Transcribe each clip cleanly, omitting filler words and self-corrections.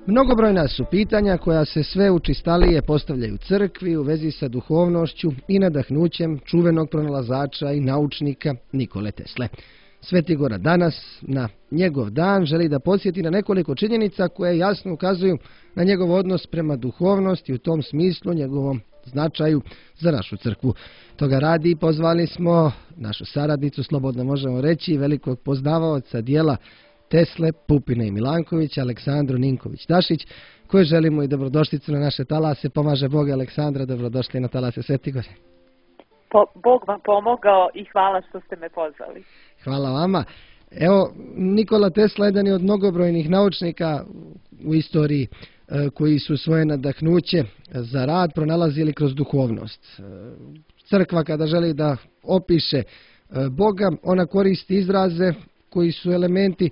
Mnogobrojna su pitanja koja se sve učestalije postavljaju crkvi u vezi sa duhovnošću i nadahnućem čuvenog pronalazača i naučnika Nikole Tesle. Sveti Gora danas, na njegov dan, želi da podsjeti na nekoliko činjenica koje jasno ukazuju na njegov odnos prema duhovnosti i u tom smislu njegovom značaju za našu crkvu. Toga radi pozvali smo našu saradnicu, slobodno možemo reći, velikog poznavaoca dijela Tesle, Pupina i Milankovića, Aleksandru Ninković-Dašić, koje želimo i dobrodošlicu na naše talase. Pomaže Bog. Aleksandra, dobrodošli na talase Sveti Gore. Bog vam pomogao i hvala što ste me pozvali. Hvala vama. Evo, Nikola Tesla jedan je od mnogobrojnih naučnika u istoriji koji su svoje nadahnuće za rad pronalazili kroz duhovnost. Crkva kada želi da opiše Boga, ona koristi izraze koji su elementi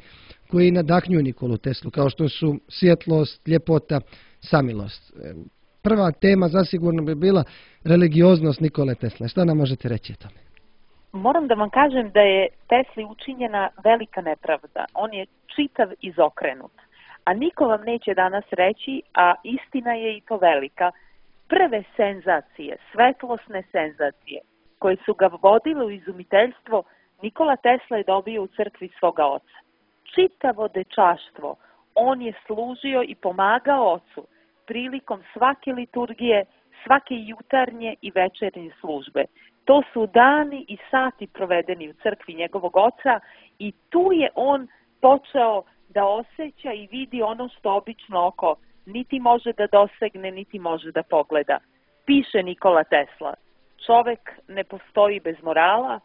koji nadahnjuju Nikolu Teslu, kao što su svjetlost, ljepota, samilost. Prva tema zasigurno bi bila religioznost Nikole Tesle. Šta nam možete reći o tome? Moram da vam kažem da je Tesli učinjena velika nepravda. On je čitav izokrenut. A niko vam neće danas reći, a istina je i to velika, prve senzacije, svetlosne senzacije, koje su ga vodile u izumiteljstvo, Nikola Tesla je dobio u crkvi svoga oca. Čitavo dečaštvo on je služio i pomagao ocu prilikom svake liturgije, svake jutarnje i večernje službe. To su dani i sati provedeni u crkvi njegovog oca i tu je on počeo da osjeća i vidi ono što obično oko niti može da dosegne, niti može da pogleda. Piše Nikola Tesla, čovek ne postoji bez morala,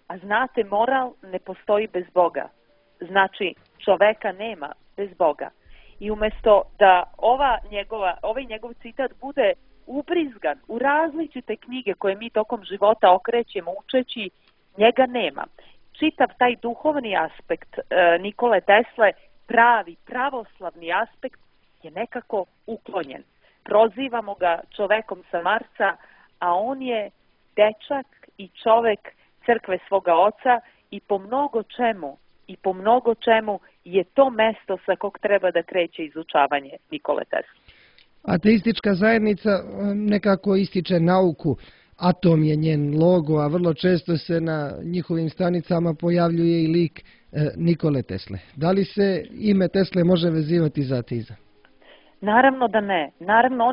a znate, moral ne postoji bez Boga. Znači, čoveka nema bez Boga. I umjesto da ovaj njegov citat bude ubrizgan u različite knjige koje mi tokom života okrećemo učeći, njega nema. Čitav taj duhovni aspekt Nikole Tesle, pravi, pravoslavni aspekt, je nekako uklonjen. Prozivamo ga čovekom sa Marsa, a on je dečak i čovek crkve svoga oca i po mnogo čemu je to mesto sa kog treba da kreće izučavanje Nikole Tesle. Ateistička zajednica nekako ističe nauku, atom je njen logo, a vrlo često se na njihovim stranicama pojavljuje i lik Nikole Tesle. Da li se ime Tesle može vezivati za ateizam? Naravno da ne. Naravno,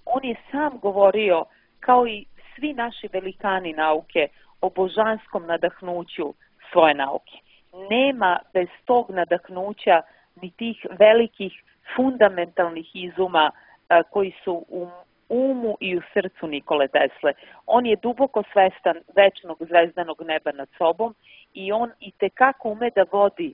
on je sam govorio, kao i svi naši velikani nauke, o božanskom nadahnuću svoje nauke. Nema bez tog nadahnuća ni tih velikih fundamentalnih izuma koji su u umu i u srcu Nikole Tesle. On je duboko svestan večnog zvezdanog neba nad sobom i on itekako ume da vodi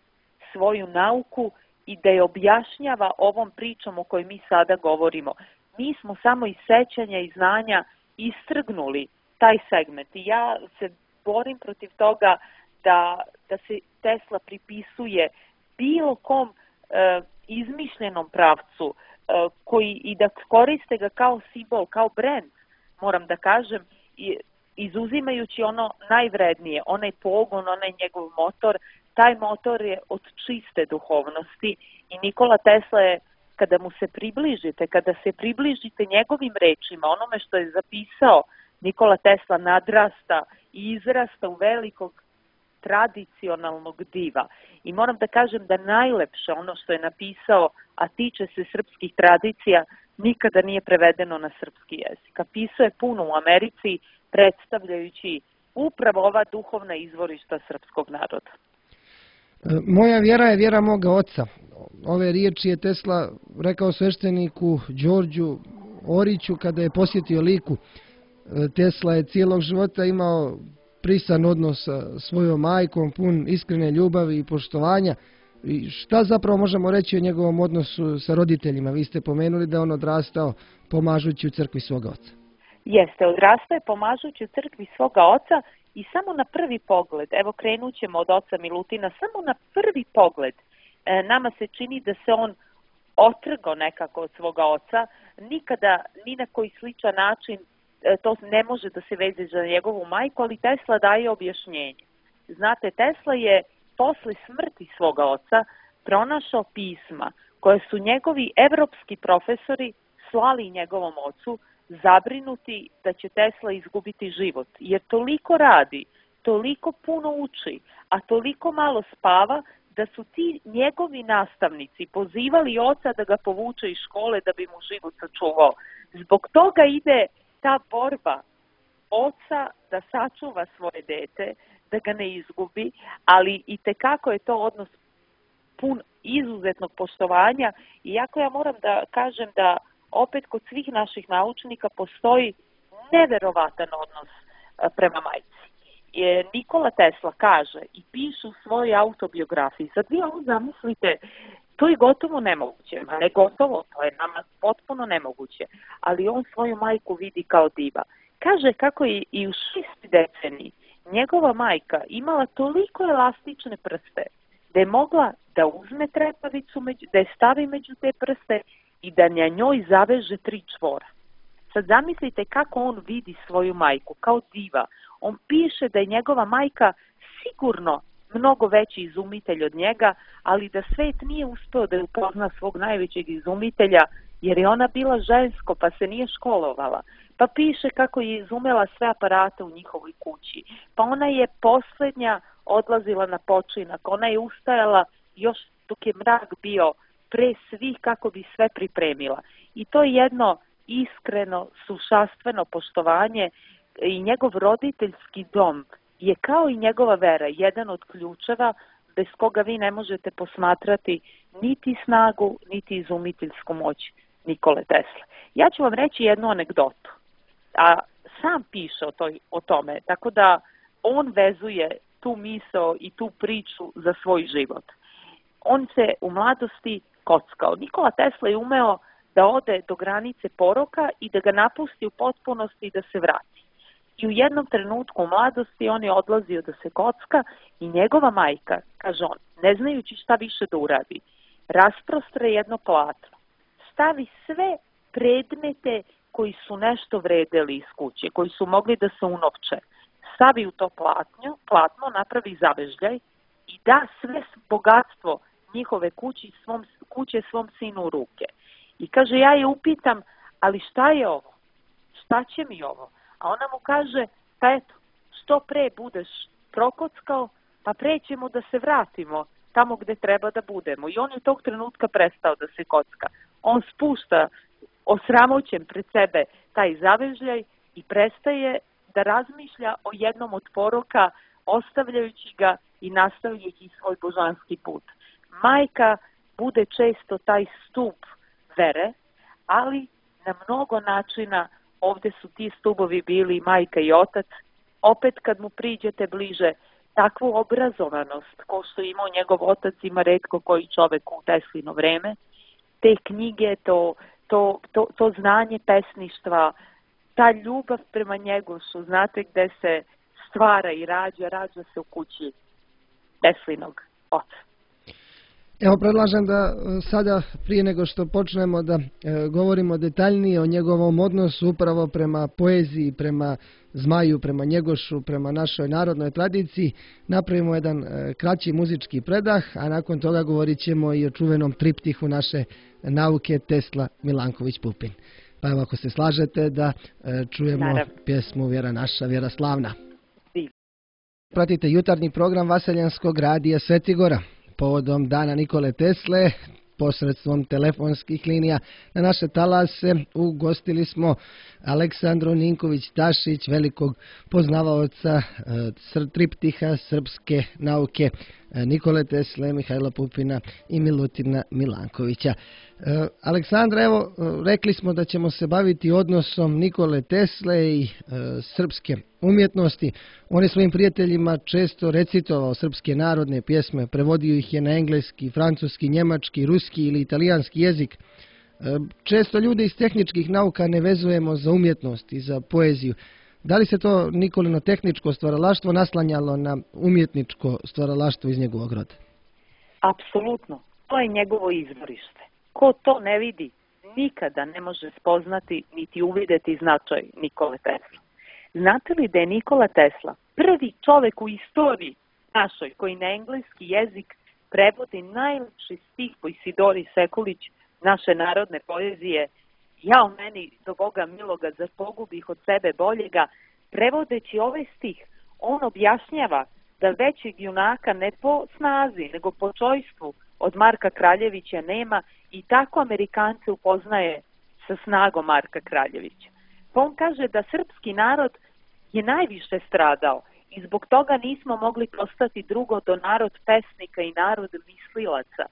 svoju nauku i da je objašnjava ovom pričom o kojoj mi sada govorimo. Mi smo samo iz sećanja i znanja istrgnuli taj segment. I ja se borim protiv toga da se Tesla pripisuje bilo kom izmišljenom pravcu i da koriste ga kao simbol, kao brend, moram da kažem, izuzimajući ono najvrednije, onaj pogon, onaj njegov motor. Taj motor je od čiste duhovnosti i Nikola Tesla je, kada se približite njegovim rečima, onome što je zapisao, Nikola Tesla nadrasta i izrasta u velikog tradicionalnog diva. I moram da kažem da najlepše ono što je napisao, a tiče se srpskih tradicija, nikada nije prevedeno na srpski jezik. A pisao je puno u Americi, predstavljajući upravo ova duhovna izvorišta srpskog naroda. Moja vjera je vjera moga oca. Ove riječi je Tesla rekao svešteniku Đorđu Oriću kada je posjetio Liku. Tesla je cijelog života imao prisan odnos sa svojom majkom, pun iskrene ljubavi i poštovanja. I šta zapravo možemo reći o njegovom odnosu sa roditeljima? Vi ste pomenuli da on odrastao pomažući u crkvi svoga oca. Jeste, odrastao je pomažući u crkvi svoga oca i samo na prvi pogled, evo krenut ćemo od oca Milutina, samo na prvi pogled nama se čini da se on otrgao nekako od svoga oca, nikada ni na koji sličan način to ne može da se veze za njegovu majku, ali Tesla daje objašnjenje. Znate, Tesla je posle smrti svoga oca pronašao pisma koje su njegovi evropski profesori slali njegovom ocu, zabrinuti da će Tesla izgubiti život, jer toliko radi, toliko puno uči, a toliko malo spava, da su ti njegovi nastavnici pozivali oca da ga povuče iz škole da bi mu život sačuvao. Zbog toga ide ta borba oca da sačuva svoje dete, da ga ne izgubi, ali i tekako je to odnos pun izuzetnog poštovanja. Iako ja moram da kažem da opet kod svih naših naučnika postoji neverovatan odnos prema majci. Nikola Tesla kaže i piše u svojoj autobiografiji, sad vi ovo zamislite, to je gotovo nemoguće, ne gotovo, to je nama potpuno nemoguće, ali on svoju majku vidi kao diva. Kaže kako je i u 6 deceniji njegova majka imala toliko elastične prste da je mogla da uzme trepavicu, da je stavi među te prste i da na njoj zaveže 3 čvora. Sad zamislite kako on vidi svoju majku, kao diva. On piše da je njegova majka sigurno mnogo veći izumitelj od njega, ali da svet nije uspeo da je upozna svog najvećeg izumitelja, jer je ona bila žensko pa se nije školovala. Pa piše kako je izumela sve aparate u njihovoj kući. Pa ona je poslednja odlazila na počinak. Ona je ustajala još dok je mrak bio pre svih kako bi sve pripremila. I to je jedno iskreno, sušastveno poštovanje i njegov roditeljski dom je kao i njegova vera, jedan od ključeva bez koga vi ne možete posmatrati niti snagu, niti izumiteljsku moć Nikole Tesle. Ja ću vam reći jednu anegdotu, a sam piše o tome, tako da on vezuje tu misao i tu priču za svoj život. On se u mladosti kockao. Nikola Tesla je umeo da ode do granice poroka i da ga napusti u potpunosti i da se vrati. I u jednom trenutku u mladosti on je odlazio da se kocka i njegova majka, kaže on, ne znajući šta više da uradi, rasprostre jedno platno, stavi sve predmete koji su nešto vredeli iz kuće, koji su mogli da se unovče, stavi u to platno, napravi zavežljaj i da sve bogatstvo njihove kuće svom sinu u ruke. I kaže, ja je upitam, ali šta je ovo? Šta će mi ovo? A ona mu kaže, pa eto, što pre budeš prokockao, pa pre ćemo da se vratimo tamo gde treba da budemo. I on je tog trenutka prestao da se kocka. On spušta osramoćen pred sebe taj zavežljaj i prestaje da razmišlja o jednom od poroka, ostavljajući ga i nastavljajući svoj božanski put. Majka bude često taj stup vere, ali na mnogo načina ovde su ti stubovi bili majka i otac. Opet kad mu priđete bliže, takvu obrazovanost ko što imao njegov otac ima retko koji čovek u Teslino vreme, te knjige, to znanje pesništva, ta ljubav prema njegu su, znate gde se stvara i rađa se u kući Teslinog oca. Evo, predlažem da sada, prije nego što počnemo da govorimo detaljnije o njegovom odnosu upravo prema poeziji, prema Zmaju, prema Njegošu, prema našoj narodnoj tradiciji, napravimo jedan kraći muzički predah, a nakon toga govorit ćemo i o čuvenom triptihu naše nauke Tesla Milanković Pupin. Pa evo, ako se slažete da čujemo pjesmu Vjera naša, vjera slavna. Pratite jutarnji program Vaseljanskog radija Svetigora. Povodom dana Nikole Tesle, posredstvom telefonskih linija na naše talase ugostili smo Aleksandru Ninković-Tašić, velikog poznavaoca triptiha srpske nauke Nikole Tesle, Mihajla Pupina i Milutina Milankovića. Aleksandra, evo, rekli smo da ćemo se baviti odnosom Nikole Tesle i srpske umjetnosti. On je svojim prijateljima često recitovao srpske narodne pjesme, prevodio ih je na engleski, francuski, njemački, ruski ili italijanski jezik. Često ljude iz tehničkih nauka ne vezujemo za umjetnost i za poeziju. Da li se to Nikolino tehničko stvaralaštvo naslanjalo na umjetničko stvaralaštvo iz njegovog roda? Apsolutno. To je njegovo izvorište. Ko to ne vidi, nikada ne može spoznati niti uvideti značaj Nikole Tesla. Znate li da je Nikola Tesla prvi čovek u istoriji našoj koji na engleski jezik prevodi najlepši stih po Isidori Sekulić naše narodne poezije: "Ja u meni do Boga miloga, zar pogubih od sebe boljega." Prevodeći ovaj stih, on objašnjava da većeg junaka ne po snazi, nego po čojstvu od Marka Kraljevića nema, i tako Amerikance upoznaje sa snagom Marka Kraljevića. Pa on kaže da srpski narod je najviše stradao i zbog toga nismo mogli postati drugo do narod pesnika i narod mislilaca.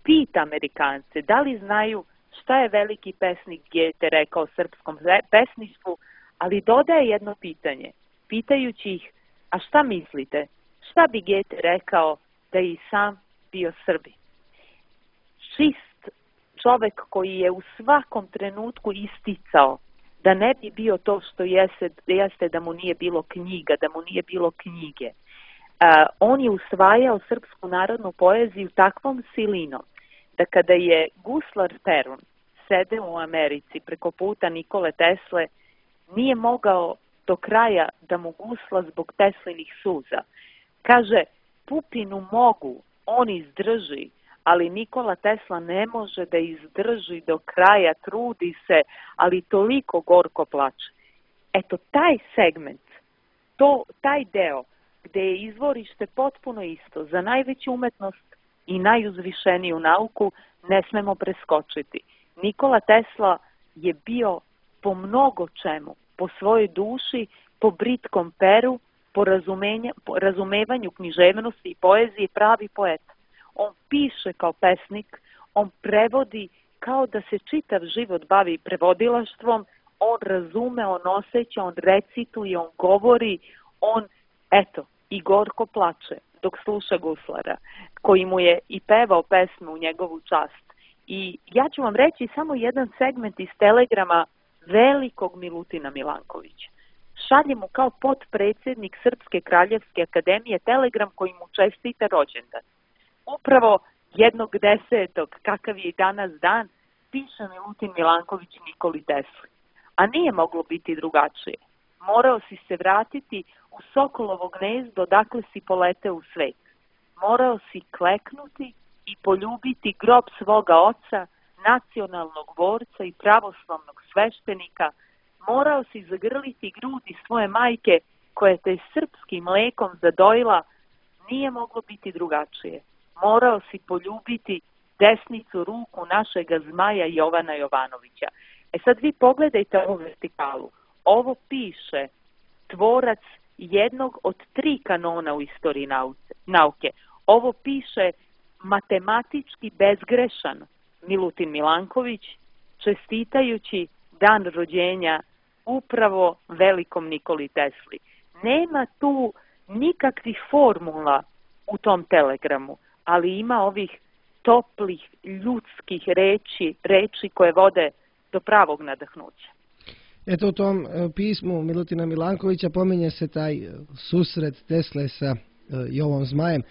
Pita Amerikance da li znaju šta je veliki pesnik Goethe rekao srpskom pesništvu, ali dodaje jedno pitanje, pitajući ih: a šta mislite, šta bi Goethe rekao da je i sam bio Srbin? Čist čovek koji je u svakom trenutku isticao da ne bi bio to što jeste da mu nije bilo knjiga, da mu nije bilo knjige. On je usvajao srpsku narodnu poeziju takvom silinom da kada je guslar Perun sedeo u Americi preko puta Nikole Tesle, nije mogao do kraja da mu gusla zbog Teslinih suza. Kaže, Pupinu mogu, on izdrži, ali Nikola Tesla ne može da izdrži do kraja, trudi se, ali toliko gorko plače. Eto, taj segment, taj deo gde je izvorište potpuno isto za najveću umetnost i najuzvišeniju nauku, ne smemo preskočiti. Nikola Tesla je bio po mnogo čemu, po svojoj duši, po britkom peru, po razumevanju književnosti i poezije, pravi poet. On piše kao pesnik, on prevodi kao da se čitav život bavi prevodilaštvom, on razume, on osjeća, on recituje, on govori, on, eto, i gorko plače dok sluša guslara, koji mu je i pevao pesmu u njegovu čast. I ja ću vam reći samo jedan segment iz telegrama velikog Milutina Milankovića. Šalje mu kao potpredsjednik Srpske kraljevske akademije telegram koji mu čestita rođendan. Upravo 1.10. kakav je i danas dan, piše Milutin Milanković Nikoli Tesli. A nije moglo biti drugačije. Morao si se vratiti u Sokolovo gnezdo dakle si poleteo u svet. Morao si kleknuti i poljubiti grob svoga oca, nacionalnog borca i pravoslavnog sveštenika. Morao si zagrliti grudi svoje majke koja te srpskim mlekom zadojila. Nije moglo biti drugačije. Morao si poljubiti desnicu ruku našega zmaja Jovana Jovanovića. E sad vi pogledajte ovu vertikalu. Ovo piše tvorac jednog od 3 kanona u istoriji nauke. Ovo piše matematički bezgrešan Milutin Milanković, čestitajući dan rođenja upravo velikom Nikoli Tesli. Nema tu nikakvih formula u tom telegramu, ali ima ovih toplih, ljudskih reči koje vode do pravog nadahnuća. Eto, u tom pismu Milutina Milankovića pominje se taj susret Tesle sa Jovom Zmajem.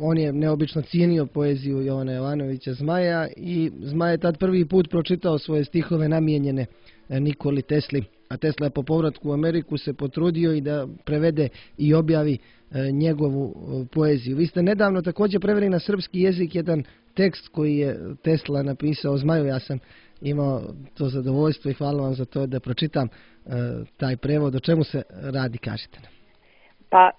On je neobično cijenio poeziju Jovana Jovanovića Zmaja i Zmaj je tad prvi put pročitao svoje stihove namijenjene Nikoli Tesli, a Tesla je po povratku u Ameriku se potrudio i da prevede i objavi njegovu poeziju. Vi ste nedavno također preveli na srpski jezik jedan tekst koji je Tesla napisao Zmaju. Ja sam imao to zadovoljstvo i hvala vam za to da pročitam taj prevod. O čemu se radi, kažite nam? Pa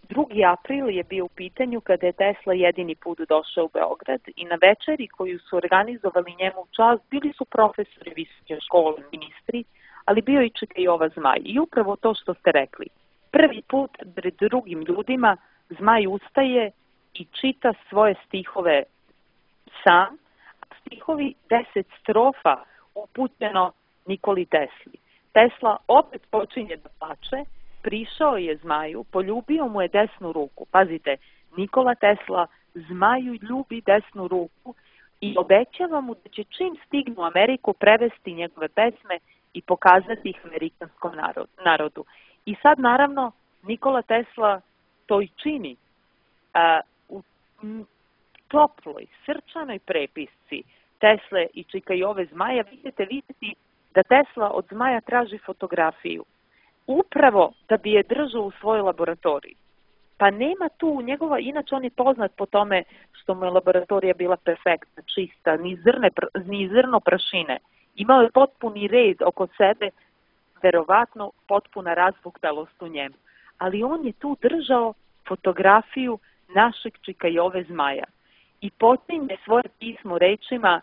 2. april je bio u pitanju kada je Tesla jedini put došao u Beograd i na večeri koju su organizovali njemu u čast bili su profesori visoke škole, ministri, ali bio i čeka Jova Zmaj. I upravo to što ste rekli. Prvi put pred drugim ljudima Zmaj ustaje i čita svoje stihove sam, stihovi 10 strofa upućeno Nikoli Tesli. Tesla opet počinje da plače, prišao je Zmaju, poljubio mu je desnu ruku. Pazite, Nikola Tesla Zmaju ljubi desnu ruku i obećava mu da će čim stignu u Ameriku prevesti njegove pesme i pokazati ih amerikanskom narodu. I sad naravno Nikola Tesla to i čini. U toploj, srčanoj prepisci Tesle i Čikajove Zmaja vidite da Tesla od Zmaja traži fotografiju. Upravo da bi je držao u svojoj laboratoriji. Pa nema tu njegova, inače on je poznat po tome što mu je laboratorija bila perfektna, čista, ni zrno prašine. Imao je potpuni red oko sebe, verovatno potpuna razbuktalost u njemu. Ali on je tu držao fotografiju našeg Čika Jove Zmaja i počinje svoje pismo rečima: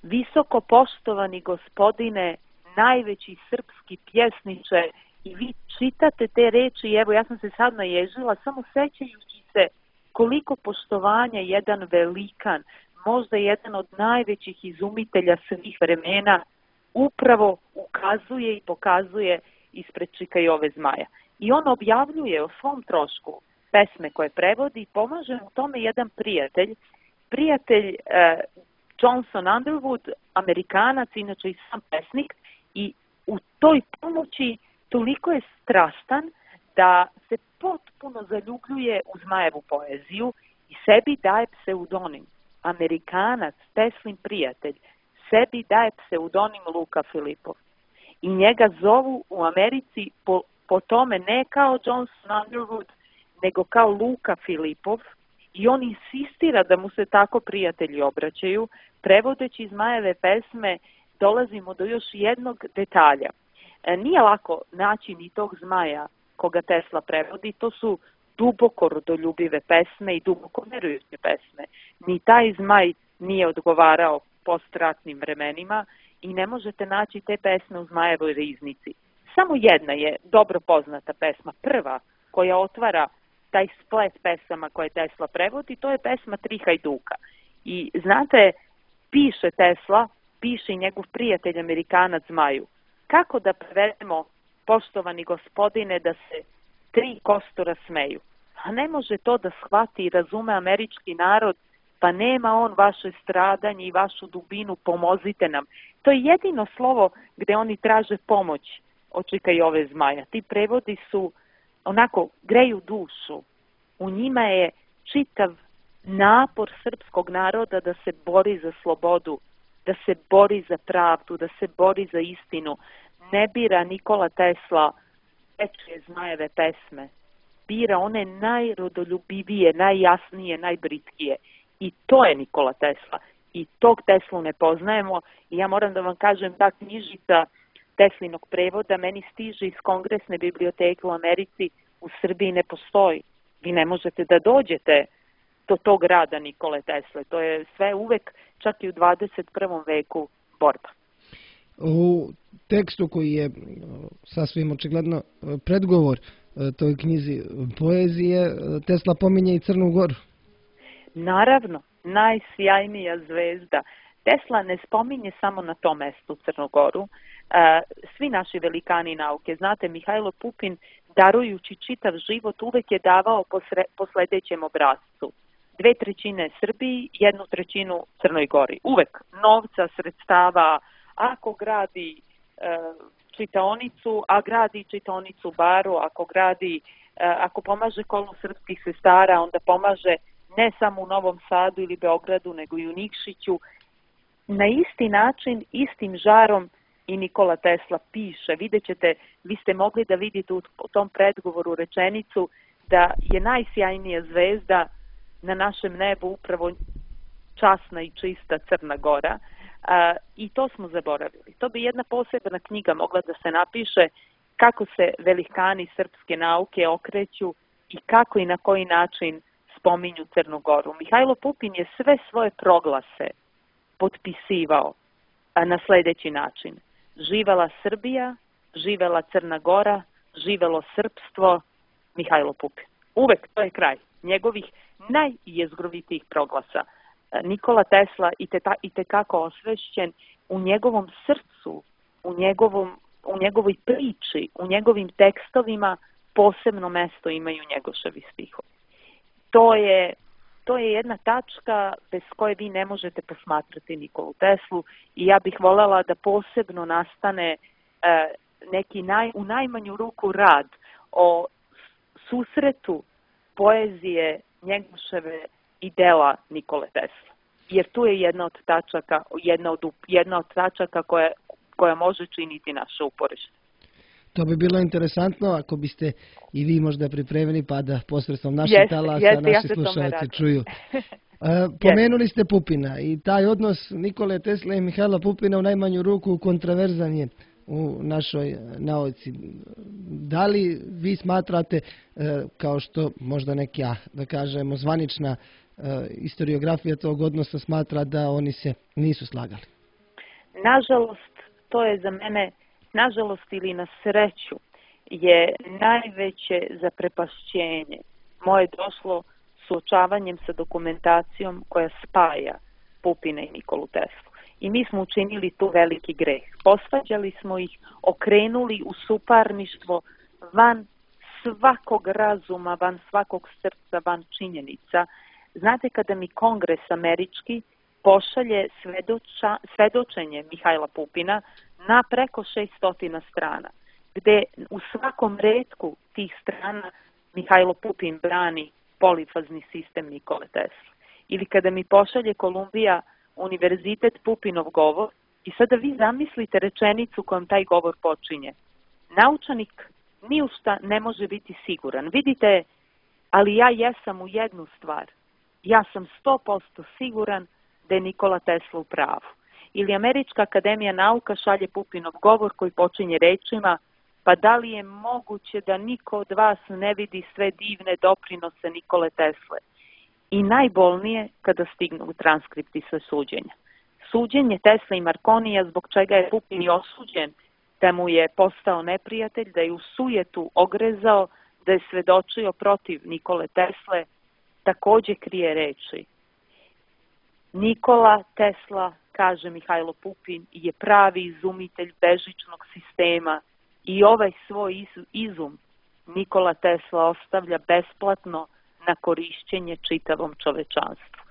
visoko poštovani gospodine, najveći srpski pjesniče. I vi čitate te reči i evo ja sam se sad naježila samo sećajući se koliko poštovanja jedan velikan, možda jedan od najvećih izumitelja svih vremena, upravo ukazuje i pokazuje ispred Čika Jove Zmaja. I on objavljuje o svom trošku pesme koje prevodi i pomaže mu tome jedan prijatelj Johnson Underwood, Amerikanac, inače i sam pesnik, i u toj pomoći toliko je strastan da se potpuno zaljubljuje u Zmajevu poeziju i sebi daje pseudonim. Amerikanac, Teslin prijatelj, sebi daje pseudonim Luka Filipov. I njega zovu u Americi po tome ne kao Johnson Underwood, nego kao Luka Filipov, i on insistira da mu se tako prijatelji obraćaju. Prevodeći Zmajeve pesme dolazimo do još jednog detalja. Nije lako naći ni tog Zmaja koga Tesla prevodi, to su duboko rodoljubive pesme i duboko verujuće pesme. Ni taj Zmaj nije odgovarao postratnim vremenima i ne možete naći te pesme u Zmajevoj riznici. Samo jedna je dobro poznata pesma, prva koja otvara taj splet pesama koje Tesla prevodi, to je pesma Tri hajduka. I znate, piše Tesla, piše i njegov prijatelj Amerikanac Zmaju: kako da prevedemo, poštovani gospodine, da se tri kostura smeju? A ne može to da shvati i razume američki narod, pa nema on vaše stradanje i vašu dubinu, pomozite nam. To je jedino slovo gde oni traže pomoć od Čika Jove Zmaja. Ti prevodi su onako, greju dušu. U njima je čitav napor srpskog naroda da se bori za slobodu, da se bori za pravdu, da se bori za istinu. Ne bira Nikola Tesla veče Zmajeve pesme. Bira one najrodoljubivije, najjasnije, najbritkije. I to je Nikola Tesla. I tog Teslu ne poznajemo. I ja moram da vam kažem, ta knjižica Teslinog prevoda meni stiže iz Kongresne biblioteke u Americi, u Srbiji ne postoji. Vi ne možete da dođete do tog rada Nikole Tesle. To je sve uvek, čak i u 21. veku, borba. U tekstu koji je sasvim očigledno predgovor toj knjizi poezije, Tesla pominje i Crnu Goru. Naravno, najsjajnija zvezda. Tesla ne spominje samo na tom mestu Crnu Goru. Svi naši velikani nauke, znate, Mihajlo Pupin, darujući čitav život, uvek je davao po sledećem obrascu: 2/3 Srbiji, 1/3 Crnoj Gori. Uvek novca, sredstava, ako gradi čitaonicu, a gradi čitaonicu u Baru, ako pomaže kolu srpskih sestara, onda pomaže ne samo u Novom Sadu ili Beogradu, nego i u Nikšiću. Na isti način, istim žarom i Nikola Tesla piše. Vidjet ćete, vi ste mogli da vidite u tom predgovoru rečenicu da je najsjajnija zvezda na našem nebu upravo časna i čista Crna Gora. I to smo zaboravili. To bi jedna posebna knjiga mogla da se napiše, kako se velikani srpske nauke okreću i kako i na koji način spominju Crnu Goru. Mihajlo Pupin je sve svoje proglase potpisivao na sledeći način: živela Srbija, živela Crna Gora, živelo srpstvo, Mihajlo Pupin. Uvek to je kraj njegovih najjezgrovitijih proglasa. Nikola Tesla i tekako osvešćen, u njegovom srcu, u njegovoj priči, u njegovim tekstovima posebno mesto imaju Njegoševi stihovi. To je jedna tačka bez koje vi ne možete posmatrati Nikolu Teslu i ja bih voljela da posebno nastane neki u najmanju ruku rad o susretu poezije Njegoševe i dela Nikole Tesla. Jer tu je jedna od tačaka koja može činiti naše uporište. To bi bilo interesantno ako biste i vi možda pripremili pa da posredstvom naših talasa naši slušalci čuju. Pomenuli ste Pupina i taj odnos Nikole Tesle i Mihajla Pupina u najmanju ruku kontroverzan je u našoj nauci. Da li vi smatrate, kao što možda neka, da kažemo, zvanična historiografija tog odnosa smatra da oni se nisu slagali? Nažalost, to je za mene, nažalost ili na sreću, je najveće zaprepašćenje moje došlo suočavanjem sa dokumentacijom koja spaja Pupina i Nikolu Teslu. I mi smo učinili tu veliki greh. Posvađali smo ih, okrenuli u suparništvo van svakog razuma, van svakog srca, van činjenica. Znate, kada mi Kongres američki pošalje svedočenje Mihajla Pupina na preko 600 strana, gde u svakom retku tih strana Mihajlo Pupin brani polifazni sistem Nikole Tesla. Ili kada mi pošalje Kolumbija univerzitet Pupinov govor i sada vi zamislite rečenicu kojom taj govor počinje. Naučanik ni u šta ne može biti siguran. Vidite, ali ja jesam u jednu stvar. Ja sam 100% siguran da je Nikola Tesla u pravu. Ili Američka akademija nauka šalje Pupinov govor koji počinje rečima: pa da li je moguće da niko od vas ne vidi sve divne doprinose Nikole Tesle? I najbolnije kada stignu u transkripti sa suđenja. Suđenje Tesla i Marconija, zbog čega je Pupin i osuđen, da mu je postao neprijatelj, da je u sujetu ogrezao, da je svedočio protiv Nikole Tesle, takođe krije reči: Nikola Tesla, kaže Mihajlo Pupin, je pravi izumitelj bežičnog sistema i ovaj svoj izum Nikola Tesla ostavlja besplatno na korišćenje čitavom čovečanstvu.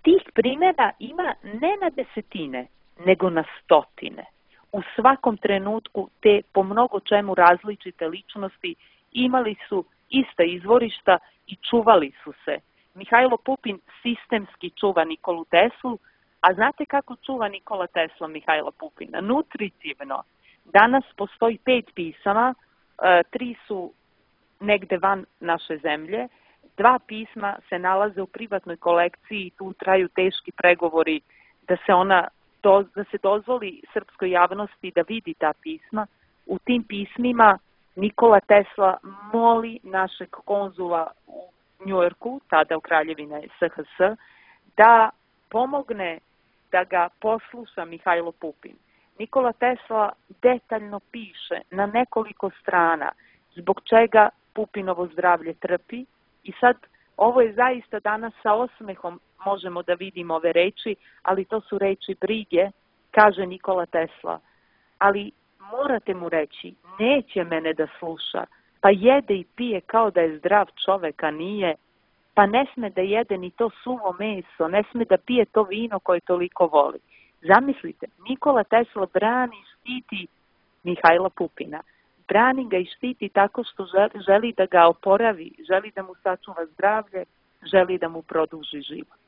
Tih primjera ima ne na desetine, nego na stotine. U svakom trenutku te po mnogo čemu različite ličnosti imali su ista izvorišta i čuvali su se. Mihajlo Pupin sistemski čuva Nikolu Teslu, a znate kako čuva Nikola Tesla Mihajla Pupina? Nutritivno. Danas postoji 5 pisama, 3 su negde van naše zemlje, 2 pisma se nalaze u privatnoj kolekciji i tu traju teški pregovori da se dozvoli srpskoj javnosti da vidi ta pisma. U tim pismima Nikola Tesla moli našeg konzula u Njujorku, tada u Kraljevine SHS, da pomogne da ga posluša Mihajlo Pupin. Nikola Tesla detaljno piše na nekoliko strana zbog čega Pupinovo zdravlje trpi i sad ovo je zaista danas sa osmehom možemo da vidimo ove reči, ali to su reči brige, kaže Nikola Tesla. Ali morate mu reći, neće mene da sluša, pa jede i pije kao da je zdrav čovek, a nije, pa ne sme da jede ni to suvo meso, ne sme da pije to vino koje toliko voli. Zamislite, Nikola Tesla brani i štiti Mihajla Pupina. Brani ga i štiti tako što želi da ga oporavi, želi da mu sačuva zdravlje, želi da mu produži život.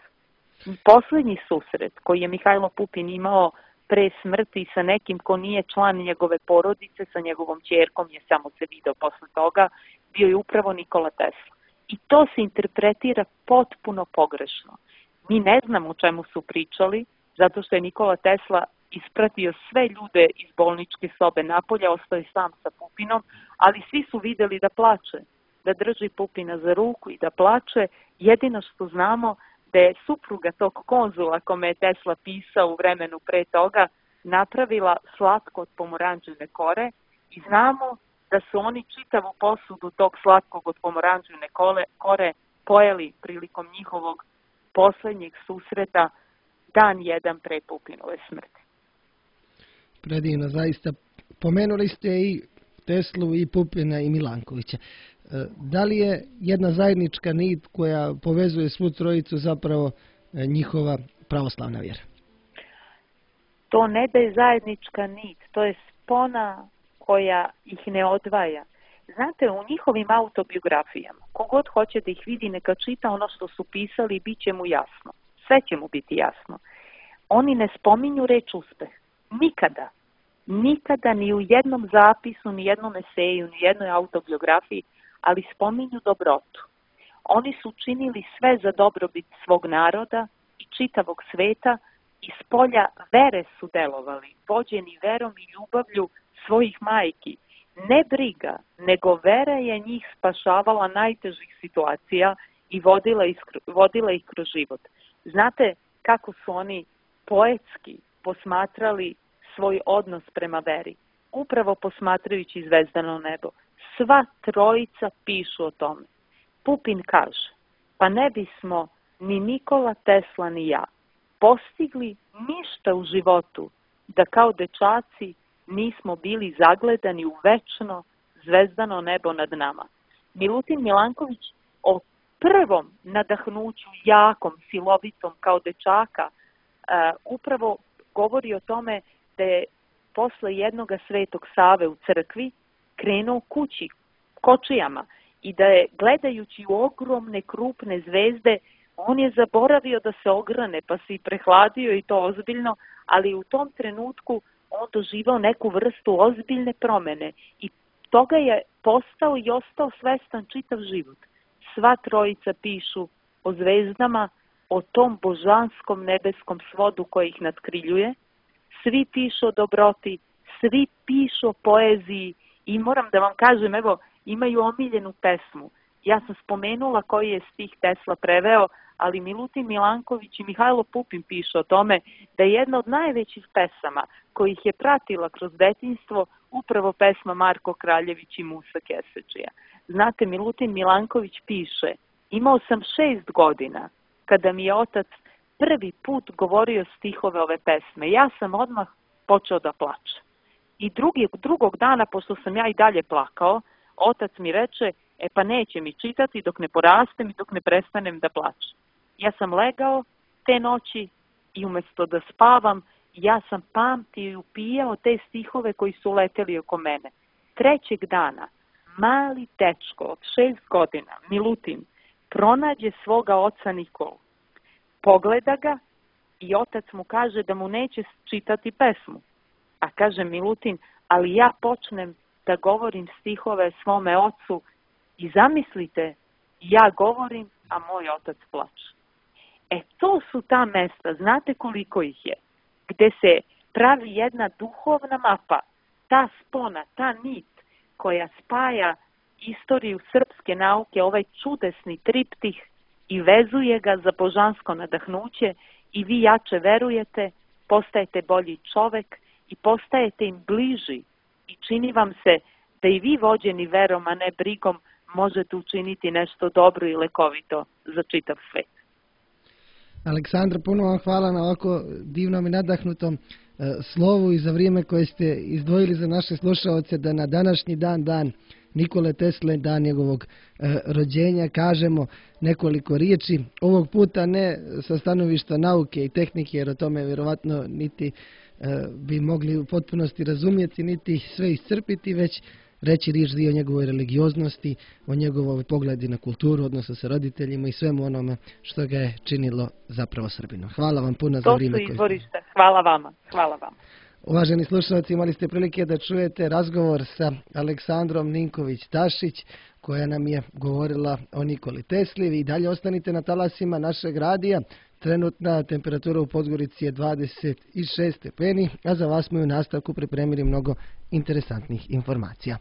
Poslednji susret koji je Mihajlo Pupin imao pre smrti sa nekim ko nije član njegove porodice, sa njegovom ćerkom, je samo se video posle toga, bio je upravo Nikola Tesla. I to se interpretira potpuno pogrešno. Mi ne znamo o čemu su pričali, zato što je Nikola Tesla ispratio sve ljude iz bolničke sobe napolja, ostao je sam sa Pupinom, ali svi su videli da plače, da drži Pupina za ruku i da plače. Jedino što znamo da je supruga tog konzula kome je Tesla pisao u vremenu pre toga napravila slatko od pomoranđine kore i znamo da su oni čitavu posudu tog slatkog od pomoranđine kore pojeli prilikom njihovog poslednjeg susreta dan jedan pre Pupinove smrti. Predivno, zaista. Pomenuli ste i Teslu i Pupina i Milankovića. Da li je jedna zajednička nit koja povezuje svu trojicu zapravo njihova pravoslavna vjera? To ne da je zajednička nit, to je spona koja ih ne odvaja. Znate, u njihovim autobiografijama, kogod hoće da ih vidi, neka čita ono što su pisali i bit će mu jasno. Sve će mu biti jasno. Oni ne spominju reč uspeh. Nikada. nikada ni u jednom zapisu, ni jednom eseju, ni jednoj autobiografiji, ali spominju dobrotu. Oni su činili sve za dobrobit svog naroda i čitavog sveta, iz polja vere su delovali, vođeni verom i ljubavlju svojih majki. Ne briga, nego vera je njih spašavala najtežih situacija i vodila ih kroz život. Znate kako su oni poetski posmatrali svoj odnos prema veri? Upravo posmatrajući zvezdano nebo. Sva trojica pišu o tome. Pupin kaže, pa ne bismo ni Nikola Tesla ni ja postigli ništa u životu da kao dečaci nismo bili zagledani u večno zvezdano nebo nad nama. Milutin Milanković o prvom nadahnuću jakom, silovitom kao dečaka upravo govori o tome da je posle jednoga Svetog Save u crkvi krenuo kući, kočijama, i da je gledajući u ogromne krupne zvezde, on je zaboravio da se ograne, pa se i prehladio i to ozbiljno, ali u tom trenutku on doživao neku vrstu ozbiljne promene i toga je postao i ostao svestan čitav život. Sva trojica pišu o zvezdama, o tom božanskom nebeskom svodu koji ih nadkriljuje, svi pišu o dobroti, svi pišu o poeziji i moram da vam kažem, evo, imaju omiljenu pesmu. Ja sam spomenula koji je stih Tesla preveo, ali Milutin Milanković i Mihajlo Pupin pišu o tome da je jedna od najvećih pesama kojih je pratila kroz detinjstvo upravo pesma Marko Kraljević i Musa Keseđija. Znate, Milutin Milanković piše, imao sam 6 godina kada mi je otac prvi put govorio stihove ove pesme. Ja sam odmah počeo da plačem. I drugog dana, pošto sam ja i dalje plakao, otac mi reče, pa neće mi čitati dok ne porastem i dok ne prestanem da plačem. Ja sam legao te noći i umjesto da spavam, ja sam pamtio i upijao te stihove koji su leteli oko mene. Trećeg dana, mali dečko od 6 godina, Milutin, pronađe svoga oca Nikolu. Pogleda ga i otac mu kaže da mu neće čitati pesmu. A kaže Milutin, ali ja počnem da govorim stihove svome ocu i zamislite, ja govorim, a moj otac plače. To su ta mesta, znate koliko ih je, gde se pravi jedna duhovna mapa, ta spona, ta nit koja spaja istoriju srpske nauke, ovaj čudesni triptih i vezuje ga za božansko nadahnuće i vi jače verujete, postajete bolji čovek i postajete im bliži i čini vam se da i vi vođeni verom, a ne brigom, možete učiniti nešto dobro i lekovito za čitav svet. Aleksandra, puno vam hvala na ovako divnom i nadahnutom slovu i za vrijeme koje ste izdvojili za naše slušaoce da na današnji dan Nikole Tesle, dan njegovog rođenja, kažemo nekoliko riječi. Ovog puta ne sa stanovišta nauke i tehnike, jer o tome vjerovatno niti bi mogli u potpunosti razumjeti, niti sve iscrpiti, već reći riječ dio o njegovoj religioznosti, o njegovoj pogledi na kulturu, odnosno sa roditeljima i svemu onome što ga je činilo zapravo Srbinom. Hvala vam puno za vrijeme. To su izvorišta. Hvala vama. Hvala vam. Uvaženi slušalci, imali ste prilike da čujete razgovor sa Aleksandrom Ninković-Tašić, koja nam je govorila o Nikoli Tesli. I dalje ostanite na talasima našeg radija. Trenutna temperatura u Podgorici je 26 stepeni, a za vas smo u nastavku pripremili mnogo interesantnih informacija.